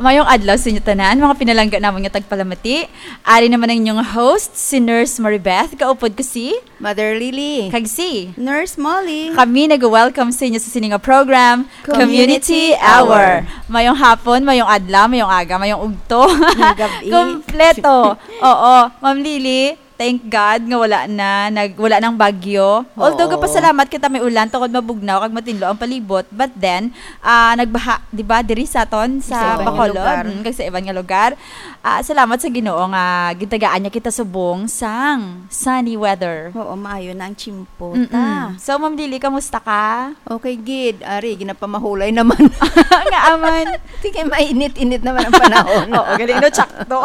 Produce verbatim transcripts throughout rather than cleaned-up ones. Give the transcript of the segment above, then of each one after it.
Mayong adlaw sa inyo tanan, mga pinalangga namon nga tagpalamati. Ari naman ang inyong host, si Nurse Maribeth. Kaupod ko si Mother Lily. Kag si Nurse Molly. Kami nag-welcome sa inyo sa sini nga program, Community Community Hour. Hour. Mayong hapon, mayong adlaw, mayong aga, mayong ugto. Mayong gabi. Kompleto. Oo, Ma'am Lily, thank God nga wala na, nag, wala nang bagyo. Although, Oo. gapasalamat kita may ulan tungod mabugnaw kag matinlo ang palibot. But then, ah, nagbaha, di ba, diri sa aton, sa Sa iban nga Bacolod, lugar. mm, kag sa iban nga lugar. Ah, salamat sa Ginoo nga gitagaan niya kita subong sang sunny weather. Oo, maayo na ang tsimpo Mm-mm. ta. So, Ma'am Lily, kamusta ka? Okay, gid. Ari, ginapamahulay naman. Nga aman. Sige, mainit-init naman ang panahon. Oo, galing, no? Tsakto.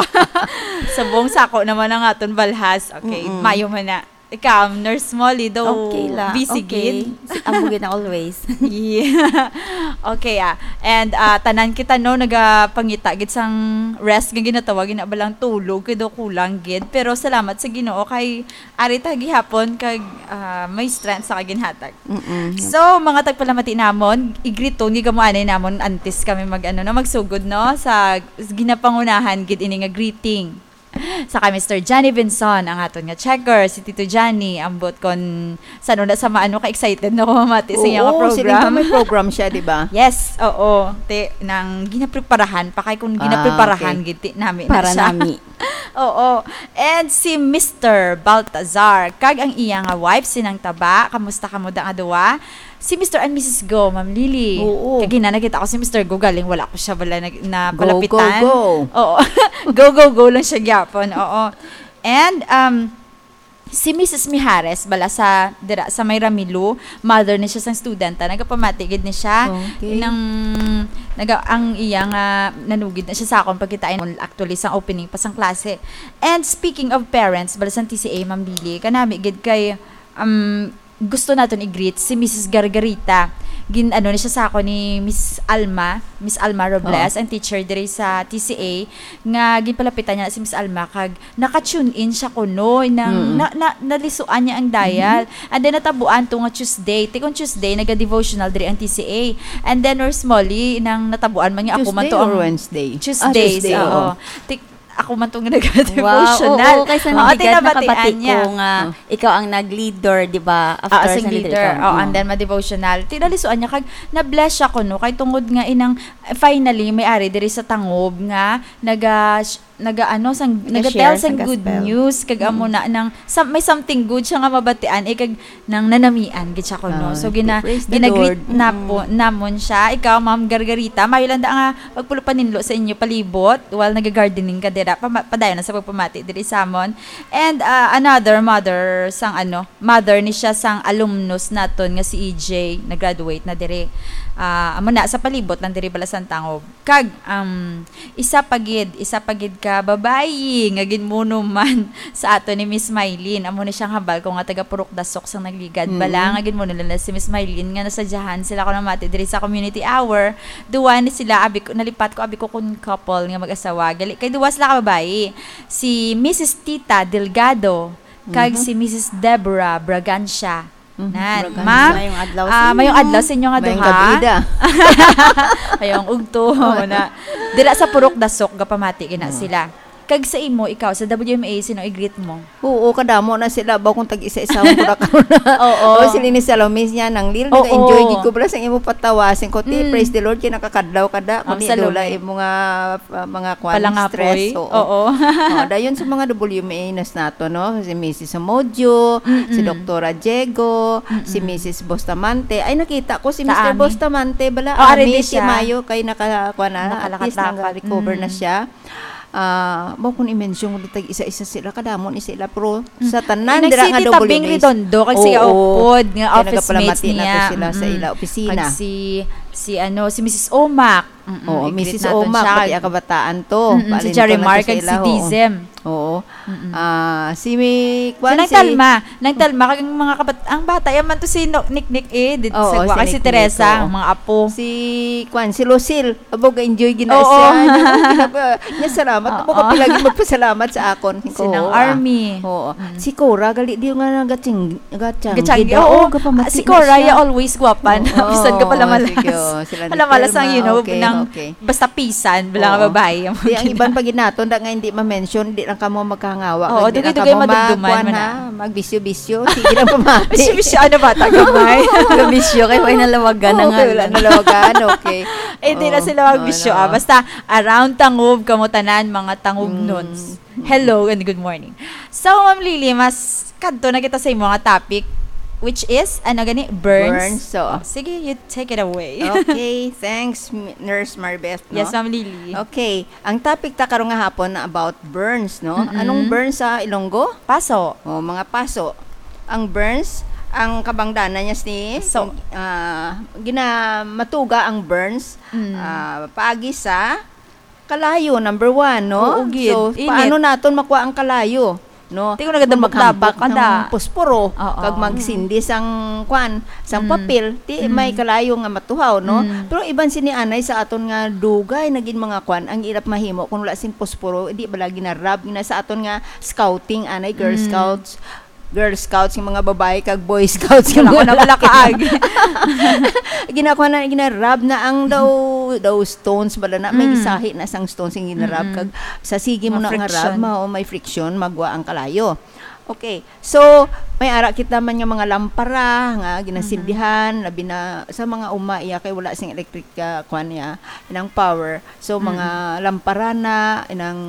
Subong sako naman ang aton balhas. Okay, Mm-mm. mayo man na. Ikaw, Nurse Molly, daw Okay la. busy Okay. gid. Si-, amo gid na always. Yeah. Okay, ah. And, ah, tanan kita, no, nagapangita gid sang rest nga ginatawag, ginabalang tulog, kay daw kulang gid. Pero salamat sa Ginoo kay ari ta gihapon kag, ah, may strength sa kaginhatag. Mm-mm. So, mga tagpalamati namon, i-greet to, nga amo anay namon antes kami mag, ano, no, magsugod, no, sa ginapangunahan gid ini nga greeting. Sa kay Mister Johnny Vinson, ang aton nga checker, si Tito Johnny, ambot kon san-o na sa maano ka-excited na ko mamati sa iya nga Oo, siling ka program. may program siya, di ba? Yes, oo. Ti, nang ginapreparahan pa, kay kung Ah, ginapreparahan okay. gid, ti nami na Para siya. nami. Oo. And si Mister Baltazar, kag ang iya nga wife, si Nang Taba. Kamusta kamo da nga duwa? Si Mister and Missus Go, Ma'am Lily. Oo. Kag ginana kita ko si Mister Go, galing wala ko siya bala nag-, na Go, go, palapitan. go. Oo. Go, go, go lang siya gyapon. Oo. And, um, si Missus Mijares, bala sa, dira, sa may Ramilo, mother ni siya sang student, ah, nagapamati gid ni siya. Okay. Nang, naga-, ang iya nga nanugid na siya sa akon pagkitain, actually, sang opening pa sang klase. And speaking of parents, bala sang T C A, Ma'am Lily, kanami gid kay, um, gusto naton i-greet si Missus Gargarita. Gin-, ano ni siya sa ako ni Miss Alma, Miss Alma Robles, Oo. ang teacher diri sa T C A, nga ginpalapitan niya si Miss Alma, kag naka-tune in siya kuno, nang Mm-mm. na, na, nalisuan niya ang dial. Mm-hmm. And then natabuan to nga Tuesday. Ti kung Tuesday, naga-devotional diri ang T C A. And then, Nurse Molly, nang natabuan man nga ako man Tuesday to or ang Wednesday? Ah, Tuesdays, Tuesday, oo. oo. Ti-, ako man to nga naga-devotional. Wow, oo, kay sa Oo, Nabigat, tinabatian nakabati niya. ko nga Oh. ikaw ang nag-leader, di ba? Ah, After sing sa leader, leader. ikaw. Oh, and Mm. then ma-devotional. Tinalisuan niya, kag na-bless siya kuno, kay tungod nga inang, finally, may ari diri sa Tangob nga naga-, naga-, ano, sang, Naga-share naga-tell sang sang good gospel. news, kag amo Mm. na, nang, sa, may something good siya nga mabatian, eh, kag nang nanamian gid siya kuno. Ah, So, gina-, praise the gina-greet Lord. na Mm. po, namon siya. Ikaw, Ma'am Gargarita, mayo lang da nga pagpalupaninlo sa inyo palibot while nagagardening ka dira. Pama-, padayon na sa pagpamati diri sa amon. And, ah, another mother sang, ano, mother ni siya sang alumnus naton nga si E J, nag-graduate na diri. Ah, amo na, sa palibot lang diri, bala sang Tangob. Kag, um, isa pa gid, isa pa gid ka babayi nga ginmuno man sa ato ni Miss Mylene. Amo ni siyang hambal ko nga taga Purok Dasok sang nagligad. Mm. Bala nga ginmuno nila si Miss Mylene nga nasadyahan sila ko namati diri sa community hour. Duwa ni sila, abi ko, nalipat ko, abi ko kun couple nga mag-asawa. Gali, kay duwa sila ka babayi. Si Missus Tita Delgado, kag Mhm. si Missus Deborah Bragancia. Mhm, Nan, Bragancia. ma'am, Mayong adlaw ah, sa mayong inyo. adlaw sa inyo nga Mayong duha. gabi da. Mayong ugto, na. Dira sa Purok Dasok, gapamati gina Mm. sila. Kag sa imo, ikaw, sa W M A, sino i-greet mo? Oo, kadamo na sila, ba kung tag-isa-isa mo na karon na. Oo. O, sila ni Salome niya, nang Lil, Oo. nag-enjoy gid ko, bala, sa imo patawa, sing ko, ti, Mm. praise the Lord, kay nakakadlaw ka da, Ma'am kung di, Salome. dula, imo nga, ah, mga kwan, Palangapoy. stress, oo. Oo. Oh, dayon sa mga W M A nas nato, no? Si Missus Amodyo, Mm-mm. si Doktora Diego, si Mm-mm. Missus Bustamante. Ay, nakita ko si Sa Mister ami. Bustamante, bala, Oh, ari ami, di si siya. Mayo, kay naka-, kwan na, at least Nakalakad-lakad. naka-recover na Mm. siya. Ah, mo kung i-mention mo, tag isa-isa sila, kadamo ni sila, pero Mm. sa tanan, Eh, dira nga nag-City Tabing W M A. Redondo, kag si Oo. Upod, nga Kaya office mates nagkapalamati na to niya. sila sa Mm-mm. ila opisina. Kag si, si, ano, si Missus Omak. Mm-mm, Oo, i-greet Missus naton Omak, siya. pati ang kabataan to. Mm-mm, si Paalin to Jerry lang Mark, to sa kag si ila, oo. Dizem. Oo. Mm-mm. Ah, si mi-, Si kwan, Nang si Talma. Nang Talma, kag ang mga kabat-, ang bata, yan man to si No-, Niknik, eh, di-, Oo, sa si gwa-, kay si Niknik, Teresa, oo. ang mga apo. Si, kwan, si Lucille, abo, ga-enjoy gina Oo. siya. Ano, ginaba-, niya, salamat. Oo. Abo, kapila gid magpasalamat sa akon. Si Nang Oo, ah. Army. Oo. Mm. Si Cora, gali di nga nagaching-, gachanggi Gachanggi, daw. oo. Oo, gapamati Si na Cora, siya. ya, always gwapan. Oo, Bisan ka oo, palamalas. sige, oh, sila ni Palamalas ang, Telma, you know, okay. nang Okay. Basta pisan, bala nga Oo. babae ang Di, ang mga iban pa gid naton, da nga hindi ma-mention, di lang kamo magkahangawa. Oo, Kag di lang dugay-dugay kamo madumduman magkuan, man na. ha? Magbisyo-bisyo. Sige lang pamati. Bisyo-bisyo, ano ba? Tagamay. Gabisyo, kay may nalawagan na Oo, nga. kay wala nalawagan. Okay. Eh, di na Oo. sila magbisyo, Ano? ah. Basta, around Tangub, kamo tanan, mga Tangubnons. Mm. Hello and good morning. So, Ma'am Lily, mas kadto na kita sa imo nga topic, which is, ano gani? Burns? Burns, oo. Oh, sige, you take it away. Okay, thanks, M-, Nurse Marbeth, no? Yes, Ma'am Lily. Okay, ang topic ta karon nga hapon na about burns, no? Mm-mm. Anong burns sa Ilonggo? Paso. Oh, mga paso. Ang burns, ang kabangdanan niya si, So. ah, ginamatuga ang burns, Mm. ah, paagi sa kalayo, number one, no? Oo, gid. So, Init. paano naton makuha ang kalayo, no? Ti kung nagadabok-dabok Kung maghampak ka da. ng posporo, Oo. kag magsindi sang, kwan, sang Mm. papel, ti Mm. may kalayo nga matuhaw, no? Mm. Pero iban sini anay sa aton nga dugay na gid mga kwan, ang ilap mahimo kung wala sing posporo, di bala ginarab, gina sa aton nga scouting, anay, Girl Mm. Scouts, Girl Scouts, yung mga babae, kag Boy Scouts, yung Wala ko mga na pala lalaki. kaagi. Ginakuha na, ginarab na ang daw, daw stones, bala na, may Mm. isahi na sang stones yung ginarab, Mm-mm. kag sa sige mo Mga na nga rab, friction. ma-, o may friction, magwa ang kalayo. Okay. So, may ara kita man nga mga lampara nga ginasindihan, Mm-hmm. labi na sa mga uma iya kay wala sing electric, ah, kwan niya, inang power. So, mga Mm. lampara na, inang,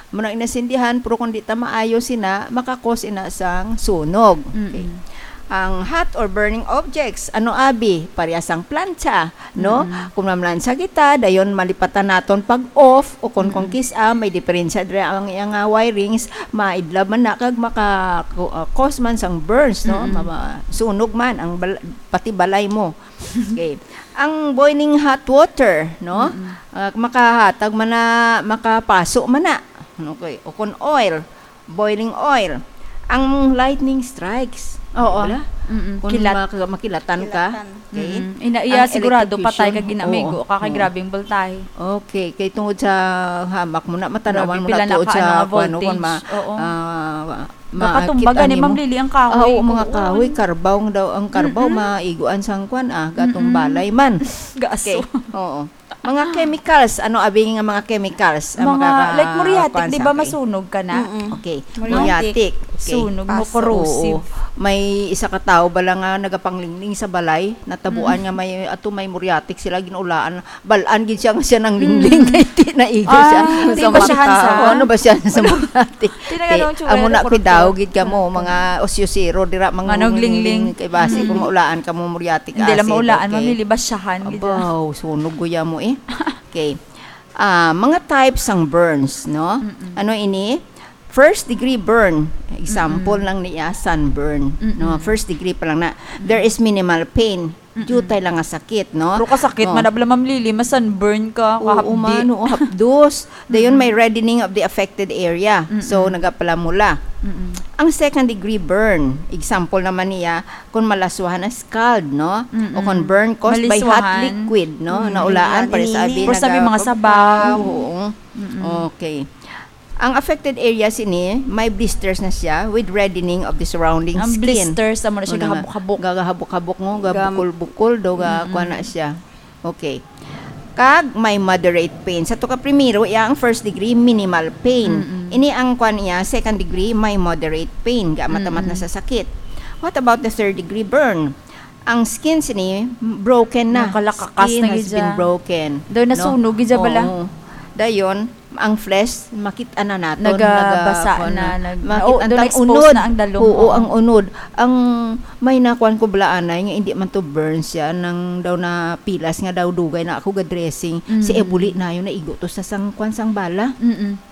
muna inasindihan, pero kung di ta maayo sina, makakos ina sang sunog. Okay. Mm-mm. Ang hot or burning objects, ano abi, pareha sang plancha, no? Mm-mm. Kung mamlansa kita, dayon malipatan naton pag off o kung, kung Mm-mm. kis-a, may diferensya dira ang iyang, ah, wirings, maidlab man na kag maka, ku-, ah, cause man sang burns, no? Mm-mm. Mama-, sunog man ang bal-, pati balay mo. Okay. Ang boiling hot water, no? Mm-mm. Ah, makahatag man na, makapaso man na. Okay. O kung oil, boiling oil. Ang lightning strikes. Oo. Wala? Mm-mm. Kung Kilat. maka-, makilatan ka. Kilatan. Okay? Mm-mm. Ina-, iya Ang sigurado electrocution. patay ka ginamigo Oo. ka kay Oo. grabing voltahe. Okay. Kay tungod sa hamak mo na, matanawan Grabe, mo pila na na tuod ka, sa ano, nga kuwan, no, kung voltage. ma-, Oo. ah, Gakatumba makita gani, nimo. Ma'am Lily, ang kahoy. Ah, oo, mga Oo. kahoy, karbaw daw, ang karbaw, Mm-mm. maiguan sang kwan, ah, gatong Mm-mm. balay man. Gaso. Okay, oo. Mga chemicals, ano abi nga mga chemicals ang Mga, makaka-, like, muriatic, kwan di sa ba, akin? masunog ka na? Mm-mm. Okay, Muriatic. muriatic. Okay. Sunog mo, Paso. corrosive. Oo. May isa ka tawo bala nga nagapanglingling sa balay, natabuan Mm. nga may, ato may muriatic sila, ginulaan, bal-an gid siya nga siya nanglingling, Mm. kay di naigo siya. Ah, Di sa ba siya mata. hansa? O, ano ba siya sa muriatic? Di na Okay, ganun, tsura amo na na, kuruto. pidaw gid kamo, Mm. mga osyosero, dira, mga Manong lingling. lingling. Kay basi Mm. kung maulaan ka mo, muriatic Hindi lang acid, maulaan, okay. mamili ba siyahan gid Aba, siya? oh, sunog guya mo eh. Okay. Ah, mga types sang burns, no? Mm-mm. Ano ini? First degree burn. Example Mm-mm. lang niya, sunburn. Mm-mm. No, first degree pa lang na. There Mm-mm. is minimal pain. Mm-mm. Diutay lang nga sakit, no? Pero kasakit Oh. man na bala, Ma'am Lily, ma-sunburn ka, Oo, kahapdi. man, oo, hapdos. Dayon may Mm-mm. reddening of the affected area. So, Mm-mm. nagapalamula. Mm-mm. Ang second degree burn, example naman niya, kung malaswahan na scald, no? O kung Mm-mm. burn caused by hot Maliswahan. liquid, no? Mm. Naulaan, Yan, pare sa init. abi, Pero sa may mga naga-, sabaw. Oo. Mm-mm. Okay. Ang affected area sini, may blisters na siya with reddening of the surrounding Ang skin. blisters, amo na siya Ano nga, gagabok-habok. gagabok-habok mo, Gam- gabukol-bukol, daw ga, Mm-mm. kuwan na siya. Okay. Kag may moderate pain. Sa to ka primero, iya ang first degree minimal pain. Mm-mm. Ini ang kuwan niya, second degree, may moderate pain. Ga matamat na Mm-mm. sa sakit. What about the third degree burn? Ang skin sini, broken na. Nakalakakas Skin na has gid been siya. broken. Daw No? nasunog gid siya bala. Oo. Dayon, ang flesh, makit-an na naton. Nagabasa Naga-, kuwan na, na. nag-, Makit-an na, tang expose unod. na ang dalom. Oo, Oo. ang unod. Ang may nakuan ko bala anay nga hindi man to burn siya, nang daw na pilas nga daw dugay na ako ga-dressing. Si Mm. Ebuli na yun, naigo to sa sang, kuwan, sang bala. Mm-mm.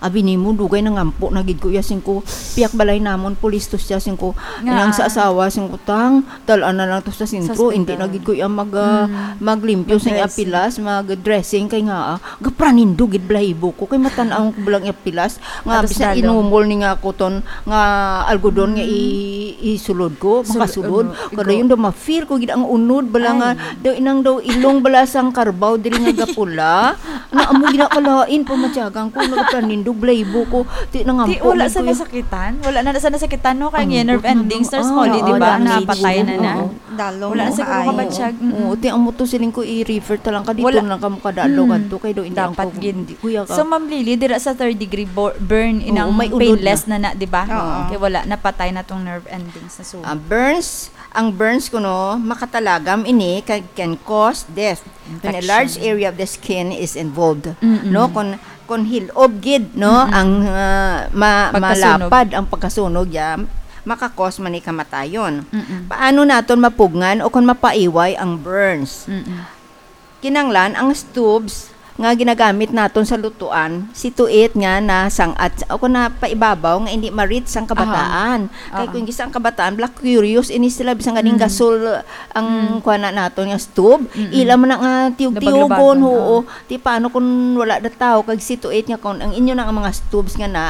Abi nimo, dugay nangampo na gid ko iya, singko, piyak balay namon, pulis to siya, singko, Nga. inang sa asawa, singko, tang, dal-an na lang to sa sentro, Sa hindi na ospital. gid ko iya mag, ah, Mm. maglimpyo sa iya Mag-dressing. pilas, mag-dressing, kay nga, ah, gapranindo gid balahibo ko, kay matan-aw ko lang iya pilas, nga Atos bisan lalo. inumol ni nga kuton, nga algodon nga Mm. i-, isulod ko, Sul-, makasulod, ano, kada igo. yun daw ma-feel ko gid ang unod, bala nga, Ay. daw inang daw ilong, bala sang karbaw, diri nga gapula, na amo gid na kalain, pamatyagan ko, nagapanindo, Blaibo ko, ti na nga Ti, po, wala man sa ko yung nasakitan? Wala na sa nasakitan, no? Kaya Ang nga nerve buto na endings, nung, nurse ah, Molly, di oo, ba? dami Napatay na na. Oo. Dalong Wala na mo siguro kaayo. kabatyag. Mm-mm. Oo, ti amo to siling ko, i-refer ta lang ka dito Wala. lang ka mo kadalo Mm. kadto, kay do hindi Dapat ako, gid. hindi, kuya ka. So, Ma'am Lily, dira sa third degree bo-, burn, Oo, inang may unod painless na. na na, di ba? Oo. Kay wala, napatay na tong nerve endings na so. Ah, burns, ang burns kuno, makatalagam ini kag can cause death when a Infection. large area of the skin is involved. Mm-mm. No, kung, kung hilob gid, no, Mm-mm. ang, ah, ma-, Pagkasunog. malapad ang pagkasunog, ya, makakos man ni kamatayon. Mm-mm. Paano naton mapugngan o kung mapaiway ang burns? Mm-mm. Kinanglan ang tubes nga ginagamit naton sa lutuan, situate nga na sang-at o kung na paibabaw nga hindi ma-reach sang kabataan. Aha. Kay Oo. kung gisa ang kabataan, black curious ini sila, bisan ganing Mm. gasol ang Mm. kuha na naton nga tube, Mm-mm. ila man na nga tiyog-tiyogon, Lubag-lubagan, oo. oo. Ti paano kung wala na tao, kag situate nga kung ang inyo na nga mga tubes nga na,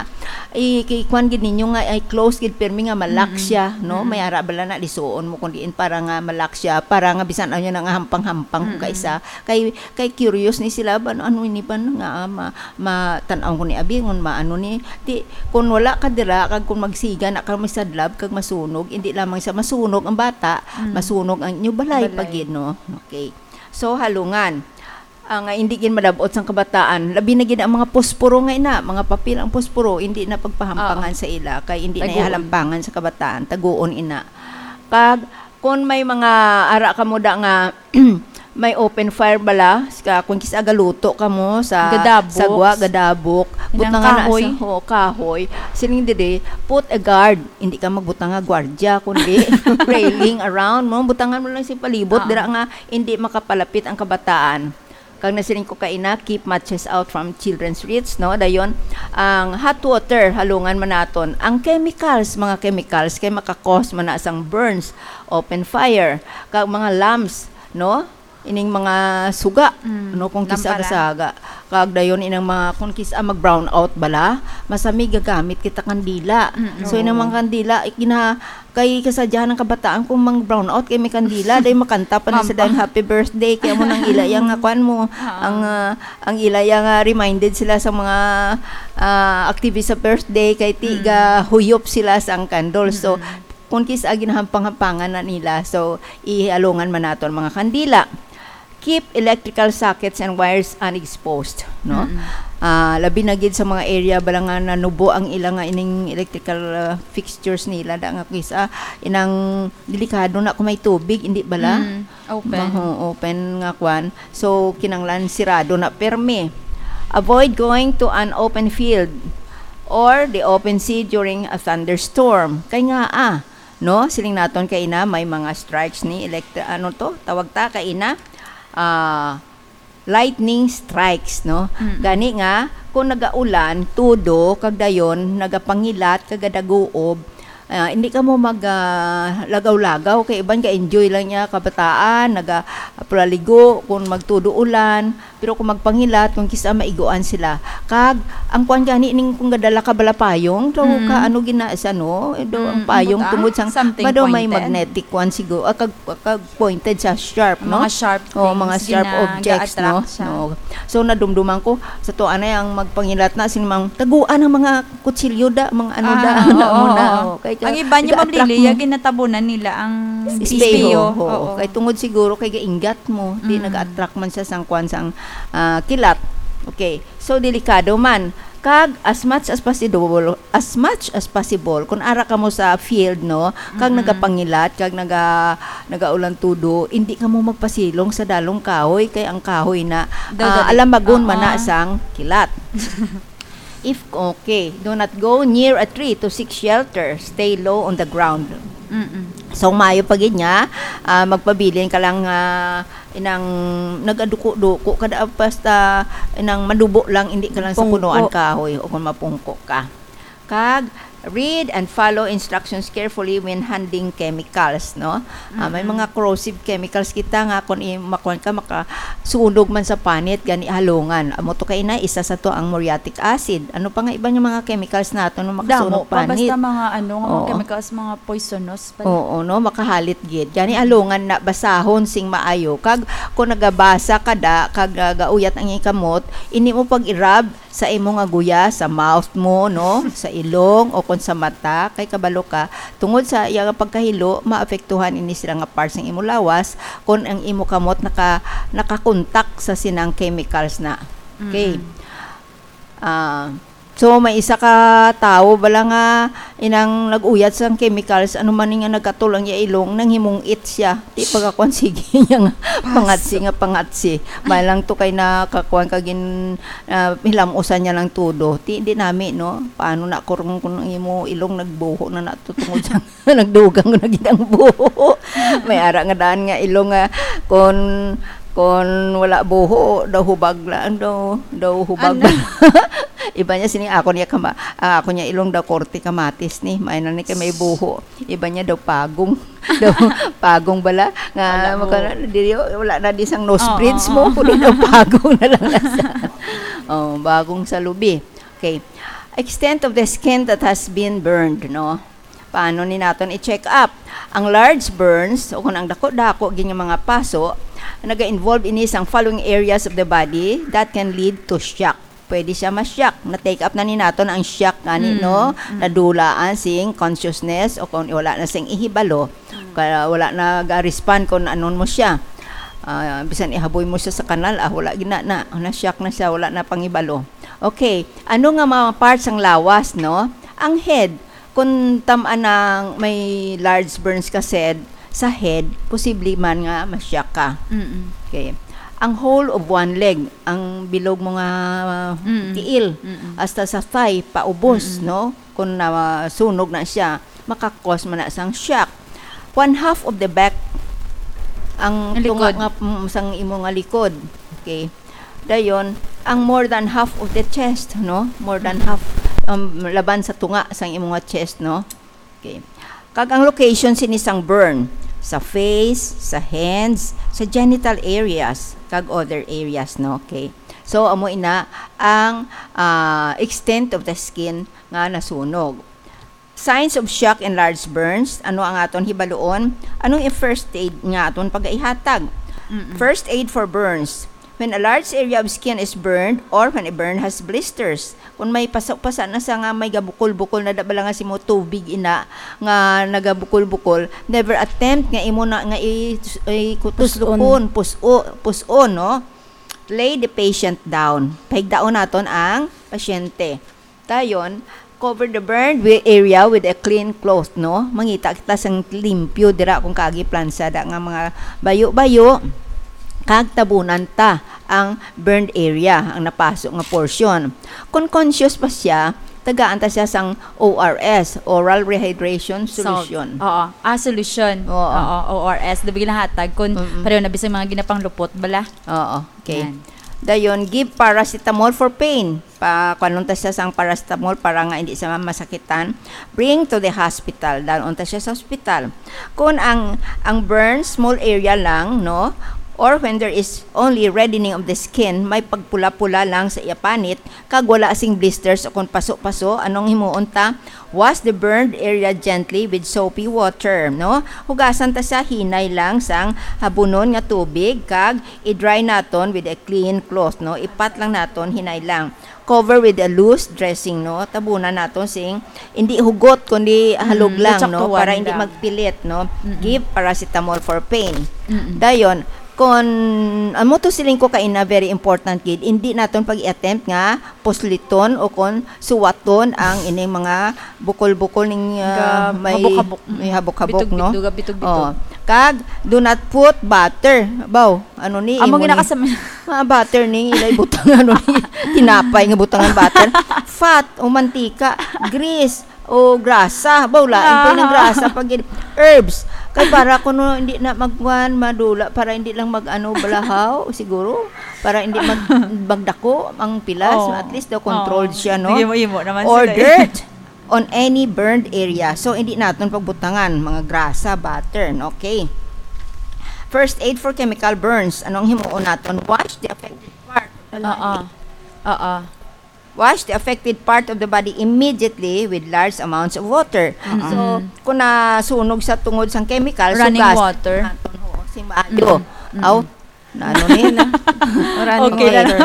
i-, i-, kuwan gid ninyo nga ay close gid pirmi nga malak Mm-mm. siya, no? Mm-mm. May ara bala na lisuon mo kung diin para nga malak siya, para nga bisan ano na nga hampang-hampang kung Mm-mm. kaisa. Kay, kay curious ni sila ba, ano, ano ini ba nga, ah, ma-, matan-aw ko ni abi, ngon maano ni, ti, kung wala ka dira, kag kung magsiga na ka, may sadlab, kag masunog, hindi lamang sa masunog ang bata, Mm. masunog ang inyo balay, Balay. pagid, no? Okay. So, halungan. Ah, nga hindi gid malab-ot sang kabataan, labi na gid ang mga posporo nga ina, mga papel ang posporo, hindi na pagpahampangan Oo. sa ila, kay hindi na Taguon. ihalampangan sa kabataan, taguon ina. Kag, kung may mga ara ka mo da nga may open fire bala, sa, kung kis-a galuto ka mo sa Gadabok. sagwa, gadabok, Inang butang na kahoy. sa, oo, kahoy. Siling diri, put a guard. Hindi ka magbutang nga gwardya, kundi railing around mo. Butangan mo lang si palibot, Oo. dira nga hindi makapalapit ang kabataan. Kag nasiling ko kaina, keep matches out from children's reach, no? Dayon, ang hot water, halungan man naton. Ang chemicals, mga chemicals, kay makakos man na sang burns, open fire, kag mga lamps, no? Ining mga suga, Mm, no? Kung kisa lampara. kasaga. Kag dayon, inang mga, kung kisa mag-brown out bala, masami gagamit kita kandila. Mm, So, inang oo. mga kandila, ikina-, Kay kasadyahan ng kabataan kung mang brown out kay may kandila, day makanta pa na sa Mamba. dayong happy birthday, kay amo nang ila yang nga kwan mo, Ah. ang, ah, ang ila yang, ah, reminded sila sa mga, ah, activist sa birthday, kay ti Mm. ga huyop sila sa ang candle. So, Mm-mm. kung kis-a ginahampang-hampangan na nila, so, ihalungan man nato ang mga kandila. Keep electrical sockets and wires unexposed, no? Mm-mm. Ah, labi na gid sa mga area bala nga nanubo ang ila nga ining electrical, ah, fixtures nila, da nga kis-a inang delikado na kung may tubig, hindi bala? Mm, open. Maho, open nga kwan. So, kinanglan sirado na permi. Avoid going to an open field or the open sea during a thunderstorm. Kay nga, ah, no? Siling naton kay ina, may mga strikes ni electri-, ano to? Tawag ta kay ina, ah, lightning strikes, no? Mm. Gani nga, kung nagaulan, tudo, kag dayon, nagapangilat, kag gadaguob, ah, hindi ka mo mag, ah, lagaw-lagaw, kay iban ka enjoy lang niya, kabataan, naga-, pulaligo, kung magtudo ulan, Pero kung magpangilat, kung kis-a maiguan sila. Kag, ang kwan gani ning kung gadala ka bala payong, daw Mm. ka ano gina-, sa ano, daw ang Mm, payong butang? tungod sang, Something ba daw may pointed? magnetic kwan siguro, ah, kag, kag pointed sa sharp, no? Mga sharp Oh, mga things, sharp gina-, objects, no? ga-attract siya. No. So, nadumduman ko, sa to, anay ang magpangilat na, sin mang, taguan ang mga kutsilyo da, mga ano Ah, da, oo, ano mo na, oo. oh. Kay ka, Ang iba niya, Ma'am nag-attract Lily, mo. yung ginatabunan nila ang Espeho, espeho. oo. Oo. Kay tungod siguro kay gainggat mo, di Mm. nag-attract man siya sang kwan sang, ah, kilat. Okay. So, delikado man. Kag as much as possible, as much as possible, kung ara ka mo sa field, no, kag Mm-mm. nagapangilat, kag naga-, nagaulan tudo, hindi ka mo magpasilong sa dalong kahoy, kay ang kahoy na, Daw ah, dali. alamagon man na Oo. sang kilat. If, okay, do not go near a tree to seek shelter. Stay low on the ground. Mm-mm. So, maayo pa gid nga, ah, magpabilin ka lang, ah, inang nagaduko-duko, kada basta inang madubo lang, hindi ka lang sa Pungko. punuan kahoy o kung mapungko ka. Kag, read and follow instructions carefully when handling chemicals, no? Ah, may Mm-mm. mga corrosive chemicals kita nga kung i-, makuan ka, makasunog man sa panit, gani halungan. Amo to kay na, isa sa to ang muriatic acid. Ano pa nga iba nga mga chemicals nato nga makasunog Damo pa, panit? basta mga ano, nga mga Oo. chemicals, mga poisonous pa. Oo, no? Makahalit gid. Gani halungan na basahon sing maayo. Kag kung nagabasa ka da, kag, ah, gauyat ang ikamot, ini mo pag-irab, sa imo nga guya, sa mouth mo, no, sa ilong, o kon sa mata, kay kabalo ka, tungod sa iya nga pagkahilo, maapektuhan ini sila nga parts sang imo lawas kon ang imo kamot naka-, nakakontak sa sinang chemicals na. Okay. Mm-mm. Ah, so, may isa ka tawo bala nga inang nag-uyat sang chemicals, ano man ni nga nagkatol ang iya ilong, nanghimong-it siya. Di pagkakuan, sige niya nga pangatsi nga pangatsi. May lang to kay nakakuan ka gin-, ah, hilam-usan niya lang todo. Di, di nami, no? Paano na kurong kung ang imo ilong nagbuho na nato tungod sa nagdugang na gid ang buho? May ara nga daan nga ilong nga kon, kon wala buho, daw hubag lang, daw, daw hubag. Ano? Iba niya sini, ako niya kama-, ah, ako niya ilong daw korte kamatis ni. May na ni kay may buho. Iba niya daw pagong. Daw pagong bala. Nga, wala mo. Maka-, dili, wala na di sang nose bridge mo. Oo, oo. Kundi daw pagong na lang na sa, oh, bagong sa lubi. Okay. Extent of the skin that has been burned, no? Paano ni naton i-check up? Ang large burns, o kung ang dako-dako gid nga mga paso, naga-involve ini sang following areas of the body that can lead to shock. Pwede siya ma-shock. Na-take up na ni naton ang shock gani, mm, no? Mm. Nadulaan sing consciousness o kung wala na sing ihibalo. Mm. Kaya wala na ga-respond kung anon mo siya. Ah, bisan ihaboy mo siya sa kanal, ah, wala gina na. Na-shock na siya, wala na pangibalo. Okay, ano nga mga parts ang lawas, no? Ang head, kung tam-an ang may large burns ka sed-, sa head, posible man nga ma-shock ka. Mm-mm. Okay. Ang whole of one leg, ang bilog mo nga, uh, mm-mm, tiil, mm-mm, hasta sa thigh, paubos, mm-mm, no? Kung nasunog na siya, makakos man na sang shock. One half of the back, ang, ang tunga likod nga, mm, sang imo nga likod. Okay. Dayon, ang more than half of the chest, no? More than, mm, half, um, laban sa tunga sang imo nga chest, no? Okay. Kag ang location sini sang burn, sa face, sa hands, sa genital areas, kag other areas, no? Okay. So, amo ina ang, ah, extent of the skin nga nasunog. Signs of shock and large burns, ano ang aton hibaluon? Anong i-, first aid nga aton pagaihatag? Mm-mm. First aid for burns. When a large area of skin is burned or when a burn has blisters. Kung may pasa-pasa na sa nga may gabukol-bukol na da bala nga simo tubig ina nga nagabukol-bukol, never attempt nga imo na nga i-, i-, kutuslukon, pus-on, pus-o, pus-on, no? Lay the patient down. Pahigdaon naton ang pasyente. Dayon, cover the burned wi-, area with a clean cloth, no? Mangita kita sang limpyo dira kung kagi plansa da nga mga bayo-bayo, kag tabunan ta ang burned area, ang napaso nga portion. Kung conscious pa siya, tagaan ta siya sang O R S, oral rehydration solution. Oo. Ah, solution. Oo. Oo, O R S. Dabi ginahatag kung, mm-mm, pareho na bisag mga ginapanglupot bala. Oo. Okay. Yan. Dayon, give paracetamol for pain. Pa, kuhanon ta siya sang paracetamol para nga hindi siya masakitan. Bring to the hospital. Dalon ta siya sa hospital. Kung ang, ang burn, small area lang, no? Or when there is only reddening of the skin, may pagpula-pula lang sa iya panit, kag wala sing blisters o kung paso-paso, anong himuon ta? Wash the burned area gently with soapy water, no? Hugasan ta siya hinay lang sang habunon nga tubig, kag i-dry naton with a clean cloth, no? Ipat lang naton, hinay lang. Cover with a loose dressing, no? Tabunan naton sing, hindi hugot, kundi halog lang, no? Lutsaktuan lang. Para hindi magpilit, no? Mm-mm. Give paracetamol for pain. Mm-mm. Dayon, kon, amo to siling ko kaina, very important gid, hindi naton pag-i-attempt nga pusliton o kon suwaton ang ining mga bukol-bukol ning, ah, may habok-habok. May habok-habok, no? Bitog-bitog, bitog-bitog. Oh. Kag, do not put butter. Baw, ano ni, amo imo ni? Mga butter ni, ilay butang, ano ni, tinapay nga butangan butter. Fat o mantika, grease, o grasa. Baw, lain pa yung grasa. Pag in-, herbs. Kay para kuno hindi na magkuan, madula, para hindi lang mag-ano, balahaw, siguro. Para hindi mag-, magdako ang pilas, at least daw controlled siya, no? Imo-imo naman sila, eh. Or dirt on any burned area. So, hindi naton pagbutangan, mga grasa, butter, no? Okay. First aid for chemical burns. Anong himuon naton? Wash the affected part. Oo. Oo. Wash the affected part of the body immediately with large amounts of water. Mm-mm. So, kung nasunog sa tungod sang chemical, running water. Hugasan naton, oo, sing maayo. Mm-mm. Mm-mm. Aw, Na ano ni na? Running Okay na water.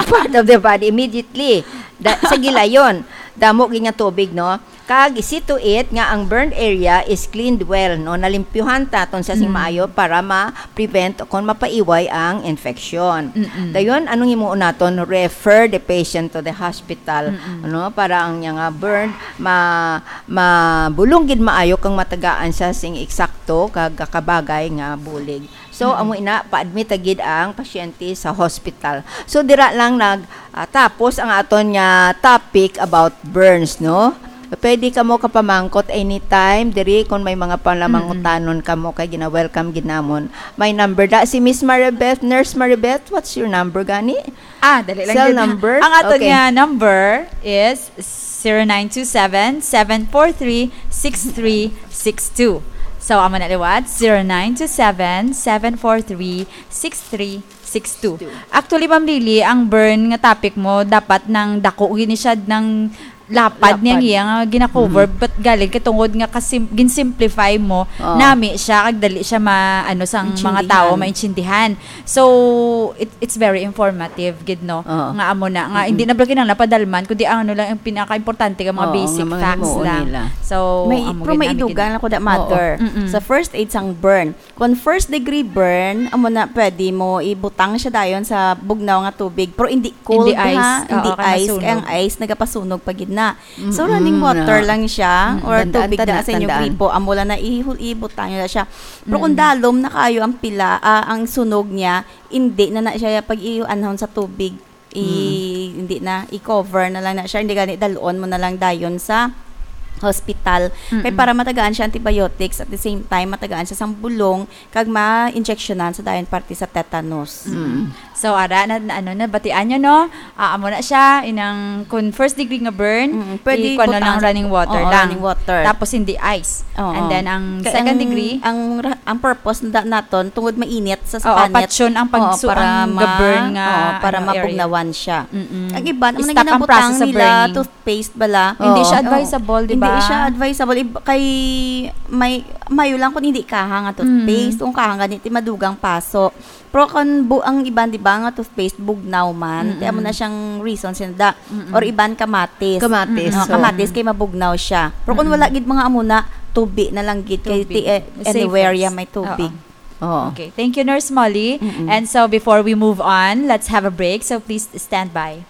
Part of the body immediately. Da, sa gilayon, damo gid nga tubig, no? Kag see to it nga ang burned area is cleaned well, no? Nalimpyuhan ta ton sa sing Mm. maayo para ma-prevent o kon mapaiway ang infection. Mm-mm. Dayon, anong himuon naton? Refer the patient to the hospital, Mm-mm. ano? Para ang niya nga burn, ma-, mabulong gid maayo kang matagaan siya sing eksakto kag kabagay nga bulig. So, Mm-mm. amo ina, pa-admit ta gid ang pasyente sa hospital. So, dira lang nag, ah, tapos ang aton nga topic about burns, no? Pwede kamo kapamangkot anytime diri kung may mga Mm-mm. palamangutanon kamo kay gina-welcome gid namon. May number da si Miss Maribeth, Nurse Maribeth, what's your number gani? Ah, dali lang Cell gid. number? Ang aton Okay. nga number is zero nine two seven, seven four three, six three six two. So, amo na liwat, zero nine two seven, seven four three, six three six two. Two. Actually, Ma'am Lily, ang burn nga topic mo, dapat nang dako gini siya ng lapad Lapad. niya nga gina-cover, Mm. but galing kay tungod nga kasim-, gin-simplify mo, Oo. nami siya, kag dali siya ma-, ano, sang mga Intindihan. tao maintindihan. So, it, it's very informative, gid, no? Oo. Nga amo na, nga Mm-mm. hindi na bala kinahanglan padalman, kundi ang ano lang, ang pinaka-importante nga mga Oo, basic nga mga facts himuon lang. nila. So, May, amo pero gid may nami idugan gid. ako, da, mother. Oo. Mm-mm. Sa first aid sang burn. Kung first degree burn, amo na, pwede mo ibutang siya dayon sa bugnaw nga tubig, pero hindi cold, Hindi ice. ha? Oo, Hindi kay ice, kay ang masunog. ice nagapasunog pa gid na. So, Mm-mm, running water na. lang siya, Mm, or tandaan, tubig na tandaan, sa inyo tandaan. gripo, amo lang na ihul-, ibutang niyo na siya. Pero kung Mm. dalom na kayo ang pila, ah, ang sunog niya, hindi na na siya pag-ianhon sa tubig. I-, Mm. hindi na, i-cover na lang na siya. Hindi gani, dalon mo na lang dayon sa hospital. Kay Mm-mm. para matagaan siya antibiotics, at the same time, matagaan siya sang bulong, kag ma-injectionan sa dayon parte sa tetanus. Mm. So, ara, na, na, ano, nabatian nyo, no? Ah, amo na siya, inang, kung first degree nga burn, Mm, pwede i-, kuwan na lang butang sa running water oo, lang. running water. Tapos hindi ice. Oo. And then, ang Kay second ang, degree, ang ra-, ang purpose na naton, tungod mainit sa, sa Oo, panit. patyon ang Oo, pagsu-, para ang ma-, ga-burn nga, oo, para ano, area. mabugnawan siya. Mm-mm. Ang iban, ang I-stop ang naghinabutang process of nila, burning. toothpaste bala. Hindi siya Oo. advisable, di Hindi ba? siya advisable. Ib-, kay may, mayo lang kung hindi kahang ang toothpaste. Mm. Kung kahang gani, ti madugang paso. Pero kung bu-, ang iban, di ba, nga toothpaste, bugnaw man. Mm-mm. Kaya mo na siyang reason, sinda. Mm-mm. Or iban, kamatis. Kamatis, Mm-mm. No, so kamatis, kay mabugnaw siya. Pero kung Mm-mm. wala gid mga amo na, tubi na lang gid. Kay Tubig. ti-, eh, Safest. anywhere ya may tubig. Oo. Oo. Okay. Thank you, Nurse Molly. Mm-mm. And so, before we move on, let's have a break. So, please stand by.